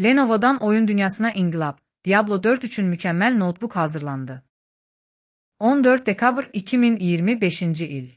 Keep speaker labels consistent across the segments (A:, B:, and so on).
A: Lenovo'dan oyun dünyasına inkılap, Diablo 4 üçün mükemmel notebook hazırlandı. 14 dekabr 2025 il.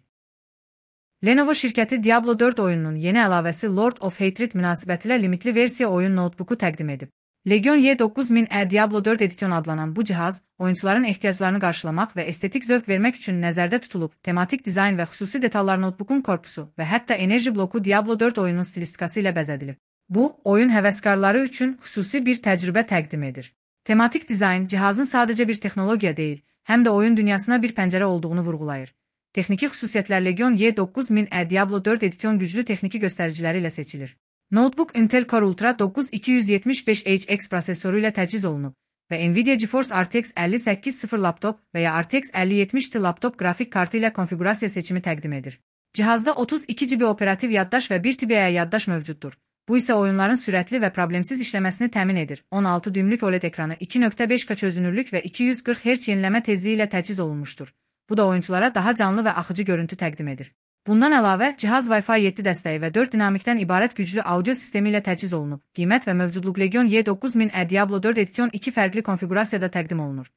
A: Lenovo şirkəti Diablo 4 oyununun yeni əlavəsi Lord of Hatred münasibətilə limitli versiya oyun notebooku təqdim edib. Legion Y9000E Diablo 4 Edition adlanan bu cihaz, oyuncuların ehtiyaclarını qarşılamaq və estetik zövq vermək üçün nəzərdə tutulub, tematik dizayn və xüsusi detallar notebookun korpusu və hətta enerji bloku Diablo 4 oyunun stilistikası ilə bəzədilib. Bu, oyun həvəskarları üçün xüsusi bir təcrübə təqdim edir. Tematik dizayn cihazın sadəcə bir texnologiya deyil, həm də oyun dünyasına bir pəncərə olduğunu vurğulayır. Texniki xüsusiyyətlər Legion Y9000E Diablo 4 Edition güclü texniki göstəriciləri ilə seçilir. Notebook Intel Core Ultra 9275HX prosesoru ilə təchiz olunub və Nvidia GeForce RTX 5080 laptop və ya RTX 5070 laptop qrafik kartı ilə konfigurasiya seçimi təqdim edir. Cihazda 32 GB operativ yaddaş və 1 TB yaddaş mövcuddur. Bu isə oyunların sürətli və problemsiz işləməsini təmin edir. 16 düymlük OLED ekranı 2.5K çözünürlük və 240 Hz yenilənmə tezliyi ilə təchiz olunmuşdur. Bu da oyunculara daha canlı və axıcı görüntü təqdim edir. Bundan əlavə, cihaz Wi-Fi 7 dəstəyi və 4 dinamikdən ibarət güclü audio sistemi ilə təchiz olunub. Qiymət və mövcudluq Legion Y9000E Diablo 4 Edition 2 fərqli konfigurasiyada təqdim olunur.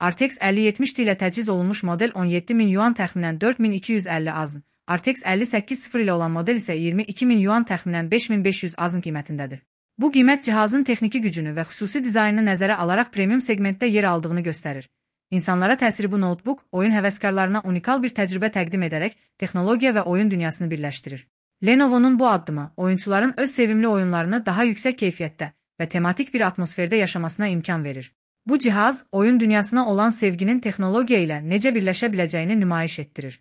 A: RTX 5070 ilə təchiz olunmuş model 17.000 yuan təxminən 4250 azn. RTX 5080 ilə olan model isə 22.000 yuan təxminən 5500 azn qiymətindədir. Bu qiymət cihazın texniki gücünü və xüsusi dizaynını nəzərə alaraq premium segmentdə yer aldığını göstərir. İnsanlara təsiri bu notebook, oyun həvəskarlarına unikal bir təcrübə təqdim edərək texnologiya və oyun dünyasını birləşdirir. Lenovo'nun bu addımı, oyuncuların öz sevimli oyunlarını daha yüksək keyfiyyətdə və tematik bir atmosferdə yaşamasına imkan verir. Bu cihaz, oyun dünyasına olan sevginin texnologiya ilə necə birləşə biləcəyini nümayiş etdirir.